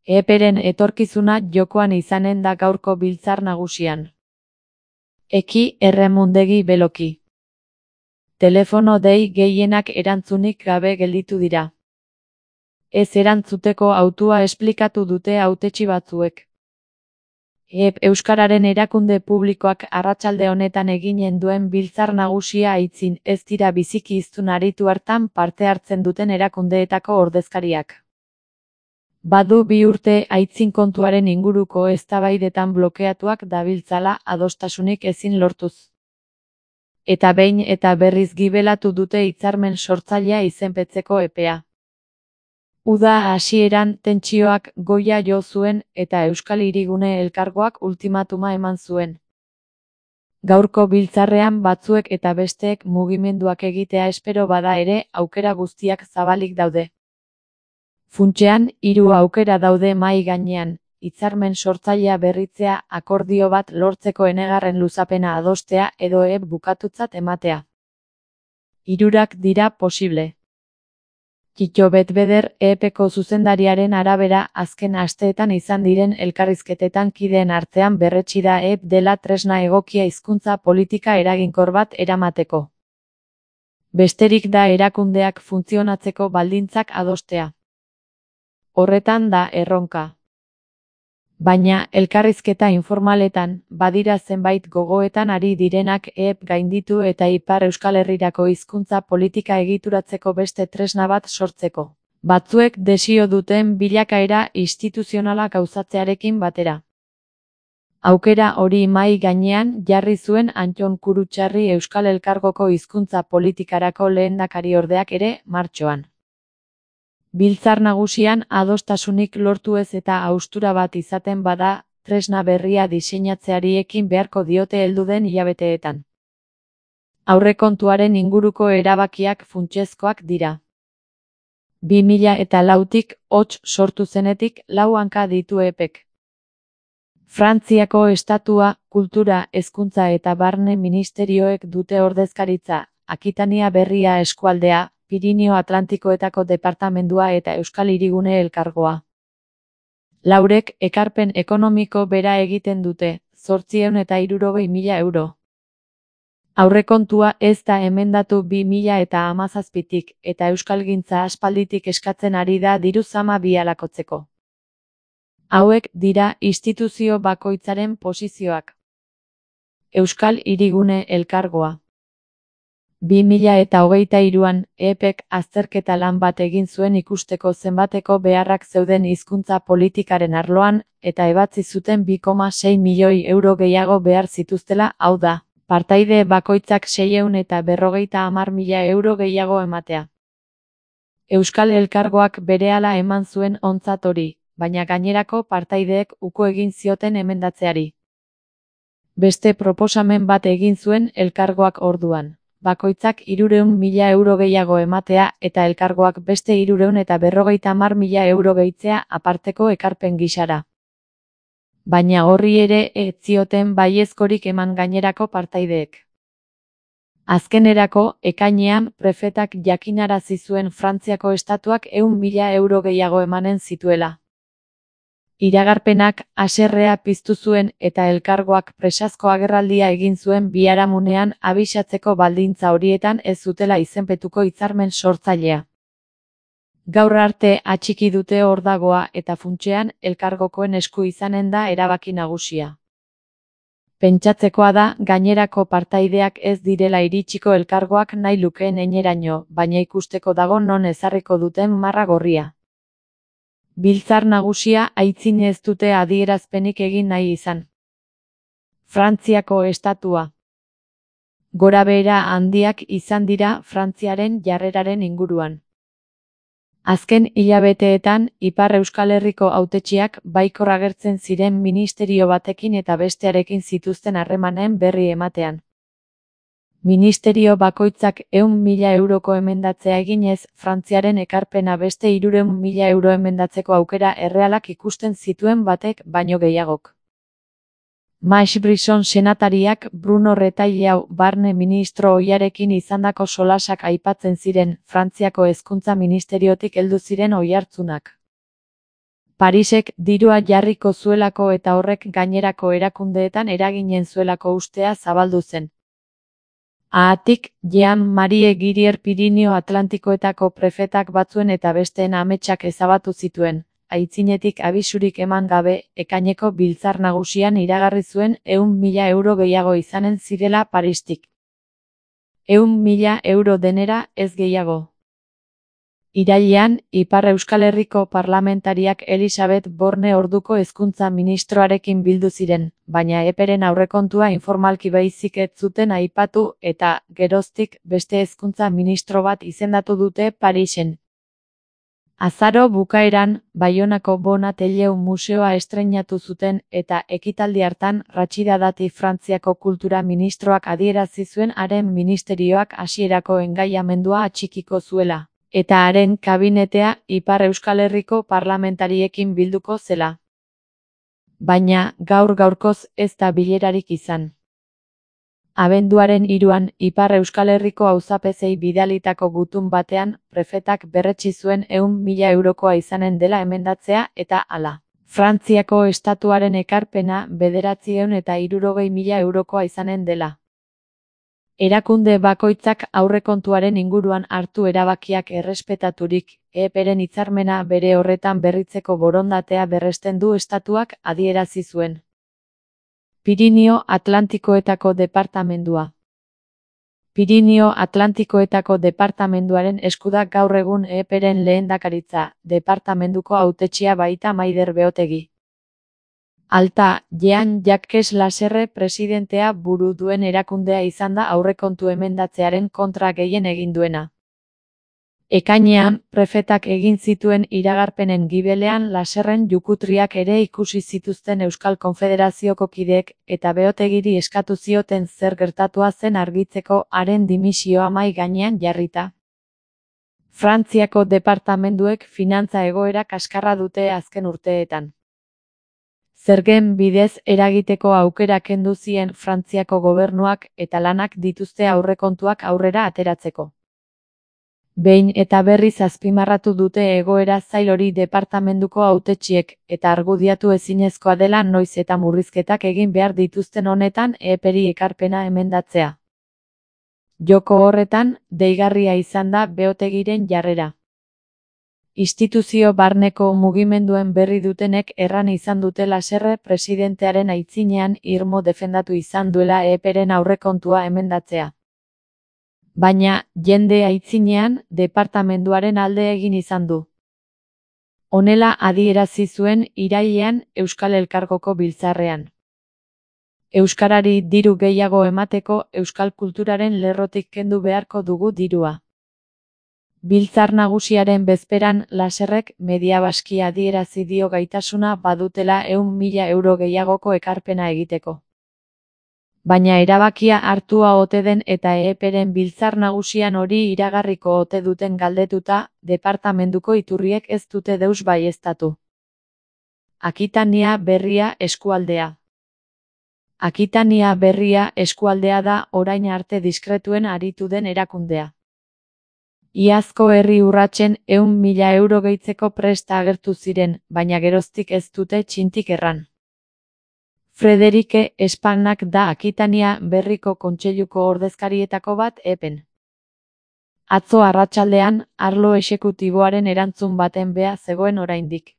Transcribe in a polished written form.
EPren etorkizuna jokoan izanen da gaurko biltzar nagusian. Eki erremundegi beloki. Telefono dei gehienak erantzunik gabe gelditu dira. Ez erantzuteko hautua esplikatu dute hautetsi batzuek. Euskararen erakunde publikoak arratsalde honetan eginen duen biltzar nagusia aitzin ez dira biziki hiztun aritu hartan parte hartzen duten erakundeetako ordezkariak. Badu 2 urte aitzin kontuaren inguruko eztabaidetan blokeatuak dabiltzala adostasunik ezin lortuz. Eta behin eta berriz gibelatu dute hitzarmen sortzailea izenpetzeko epea. Uda hasieran tentsioak goia jo zuen eta Euskal Hirigune Elkargoak ultimatuma eman zuen. Gaurko biltzarrean batzuek eta besteek mugimenduak egitea espero bada ere aukera guztiak zabalik daude. Funtsean 3 aukera daude mahai gainean, hitzarmen sortzailea berritzea, akordio bat lortzeko enegarren luzapena adostea edo bukatutzat ematea. 3 dira posible. Kitto Betbeder EPko zuzendariaren arabera azken asteetan izan diren elkarrizketetan kideen artean berretsi da dela tresna egokia hizkuntza politika eraginkor bat eramateko. Besterik da erakundeak funtzionatzeko baldintzak adostea. Horretan da erronka. Baina, elkarrizketa informaletan, badira zenbait gogoetan ari direnak gainditu eta Ipar Euskal Herrirako hizkuntza politika egituratzeko beste tresna bat sortzeko. Batzuek desio duten bilakaera instituzionala gauzatzearekin batera. Aukera hori mahai gainean jarri zuen Antton Kurutxarri Euskal Elkargoko hizkuntza politikarako lehendakariordeak ere martxoan. Biltzar nagusian adostasunik lortu ez eta haustura bat izaten bada, tresna berria diseinatzeari ekin beharko diote heldu den hilabeteetan. Aurrekontuaren inguruko erabakiak funtsezkoak dira. 2004tik hots sortu zenetik 4 hanka ditu EPek. Frantziako estatua, kultura, hezkuntza eta barne ministerioek dute ordezkaritza, Akitania Berria eskualdea, Pirinio Atlantikoetako departamendua eta Euskal Hirigune Elkargoa. 4ek ekarpen ekonomiko bera egiten dute, 860.000 euro. Aurrekontua ez da emendatu 2017tik eta euskalgintza aspalditik eskatzen ari da diru zama bialakotzeko. Hauek dira instituzio bakoitzaren posizioak. Euskal Hirigune Elkargoa. 2023an EPek azterketa lan bat egin zuen ikusteko zenbateko beharrak zeuden hizkuntza politikaren arloan eta ebatzi zuten 2,6 milioi euro gehiago behar zituztela, hau da, partaide bakoitzak 650.000 euro gehiago ematea. Euskal Elkargoak berehala eman zuen ontzat hori, baina gainerako partaideek uko egin zioten emendatzeari. Beste proposamen bat egin zuen Elkargoak orduan. Bakoitzak 300.000 euro gehiago ematea eta elkargoak beste 350.000 euro gehitzea aparteko ekarpen gisara. Baina horri ere ez zioten baiezkorik eman gainerako partaideek. Azkenerako, ekainean, prefetak jakinarazi zuen Frantziako estatuak 100.000 euro gehiago emanen zituela. Iragarpenak haserrea piztu zuen eta elkargoak presazko agerraldia egin zuen biharamunean abisatzeko baldintza horietan ez zutela izenpetuko hitzarmen sortzailea. Gaur arte atxiki dute hor dagoa eta funtsean elkargokoen esku izanen da erabaki nagusia. Pentsatzekoa da gainerako partaideak ez direla iritsiko elkargoak nahi lukeen eineraino, baina ikusteko dago non ezarriko duten marra gorria. Biltzar nagusia aitzin ez dute adierazpenik egin nahi izan. Frantziako estatua. Gorabehera handiak izan dira Frantziaren jarreraren inguruan. Azken hilabeteetan, Ipar Euskal Herriko hautetsiak baikor agertzen ziren ministerio batekin eta bestearekin zituzten harremanen berri ematean. Ministerio bakoitzak 100.000 euroko emendatzea eginez, Frantziaren ekarpena beste 300.000 euro emendatzeko aukera errealak ikusten zituen batek baino gehiagok. Max Brisson senatariak Bruno Retailleau barne ministro ohiarekin izandako solasak aipatzen ziren Frantziako hezkuntza ministeriotik heldu ziren oihartzunak. Parisek dirua jarriko zuelako eta horrek gainerako erakundeetan eraginen zuelako ustea zabaldu zen. Haatik, Jean-Marie Girier Pirinio Atlantikoetako prefetak batzuen eta besteen ametsak ezabatu zituen, aitzinetik abisurik eman gabe, ekaineko biltzar nagusian iragarri zuen 100.000 euro gehiago izanen zirela Paristik. 100.000 euro denera, ez gehiago. Irailean, Ipar Euskal Herriko parlamentariak Elisabet Borne orduko hezkuntza ministroarekin bildu ziren, baina EPEren aurrekontua informalki baizik ez zuten aipatu eta, geroztik, beste hezkuntza ministro bat izendatu dute Parisen. Azaro bukaeran, Baionako Bonatelleu museoa estreinatu zuten eta ekitaldi hartan Ratxida Dati Frantziako kultura ministroak adierazi zuen haren ministerioak hasierako engaiamendua atxikiko zuela, eta haren kabinetea Ipar Euskal Herriko parlamentariekin bilduko zela. Baina, gaur-gaurkoz ez da bilerarik izan. Abenduaren 3an, Ipar Euskal Herriko auzapezei bidalitako gutun batean, prefetak berretsi zuen 100.000 eurokoa izanen dela emendatzea eta hala. Frantziako estatuaren ekarpena 960.000 eurokoa izanen dela. Erakunde bakoitzak aurrekontuaren inguruan hartu erabakiak errespetaturik, EPEren hitzarmena bere horretan berritzeko borondatea berresten du estatuak adierazi zuen. Pirinio Atlantikoetako departamendua. Pirinio Atlantikoetako departamenduaren eskuda gaur egun EPEren lehendakaritza, departamenduko hautetsia baita Maider Beotegi. Alta, Jean-Jacques Lasserre presidentea buru duen erakundea izan da aurrekontu emendatzearen kontra gehien egin duena. Ekainean, prefetak egin zituen iragarpenen gibelean Lasserren jukutriak ere ikusi zituzten Euskal Konfederazioko kideek eta Beotegiri eskatu zioten zer gertatua zen argitzeko haren dimisioa mahai gainean jarrita. Frantziako departamenduek finantza egoera kaskarra dute azken urteetan. Zergen bidez eragiteko aukera kendu zien Frantziako gobernuak eta lanak dituzte aurrekontuak aurrera ateratzeko. Behin eta berriz azpimarratu dute egoera zail hori departamenduko hautetsiek eta argudiatu ezinezkoa dela noiz eta murrizketak egin behar dituzten honetan EPEri ekarpena emendatzea. Joko horretan, deigarria izan da Beotegiren jarrera. Instituzio barneko mugimenduen berri dutenek erran izan dute Lasserre presidentearen aitzinean irmo defendatu izan duela EPEren aurrekontua emendatzea. Baina, jende aitzinean, departamenduaren alde egin izan du. Honela adierazi zuen irailean Euskal Elkargoko biltzarrean. Euskarari diru gehiago emateko euskal kulturaren lerrotik kendu beharko dugu dirua. Biltzar nagusiaren bezperan Lasserrek Mediabaski adierazi dio gaitasuna badutela 100.000 euro gehiagoko ekarpena egiteko. Baina erabakia hartua ote den eta EPEren biltzar nagusian hori iragarriko ote duten galdetuta, departamenduko iturriek ez dute deus baieztatu. Akitania Berria eskualdea. Akitania Berria eskualdea da orain arte diskretuen aritu den erakundea. Iazko herri urratsen 100.000 euro gehitzeko presta agertu ziren, baina geroztik ez dute txintik erran. Frederike Espagnak da Akitania Berriko kontseiluko ordezkarietako bat EPEn. Atzo arratsaldean, arlo exekutiboaren erantzun baten bea zegoen oraindik.